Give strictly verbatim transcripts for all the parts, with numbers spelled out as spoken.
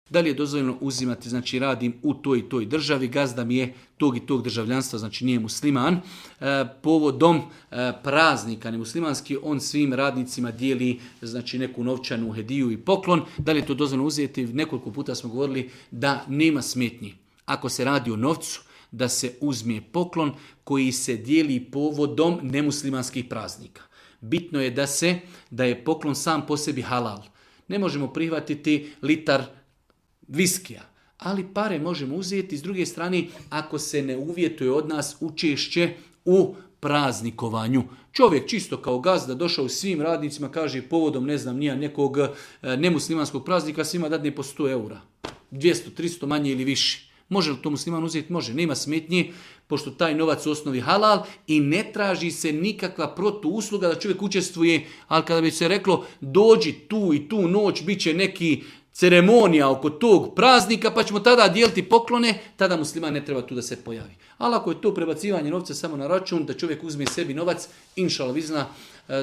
Da li je dozvoljeno uzimati, znači radim u toj i toj državi, gazda mi je tog i tog državljanstva, znači nije musliman, e, povodom e, praznika nemuslimanski, on svim radnicima dijeli znači neku novčanu hediju i poklon. Da li je to dozvoljeno uzeti? Nekoliko puta smo govorili da nema smetnji. Ako se radi o novcu, da se uzme poklon koji se dijeli povodom nemuslimanskih praznika. Bitno je da se da je poklon sam po sebi halal. Ne možemo prihvatiti litar viskija, ali pare možemo uzeti. S druge strane, ako se ne uvjetuje od nas učešće u praznikovanju. Čovjek čisto kao gazda došao svim radnicima, kaže povodom ne znam nija nekog nemuslimanskog praznika svima dadne po sto eura. dvjesto, tristo manje ili više. Može li to musliman uzeti? Može. Nema smetnje, pošto taj novac u osnovi halal i ne traži se nikakva protuusluga da čovjek učestvuje, ali kada bi se reklo dođi tu i tu noć, bit će neki ceremonija oko tog praznika, pa ćemo tada dijeliti poklone, tada musliman ne treba tu da se pojavi. Ali ako je to prebacivanje novca samo na račun, da čovjek uzme sebi novac, inšala vizna,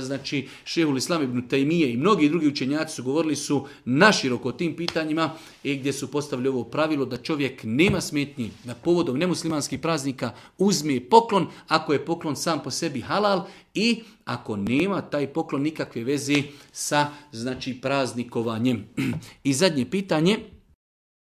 znači Šehul Islam ibn Tajmije i mnogi drugi učenjaci su govorili su naširoko o tim pitanjima i gdje su postavili ovo pravilo da čovjek nema smetnji da povodom nemuslimanskih praznika uzme poklon ako je poklon sam po sebi halal i ako nema taj poklon nikakve veze sa znači praznikovanjem. I zadnje pitanje.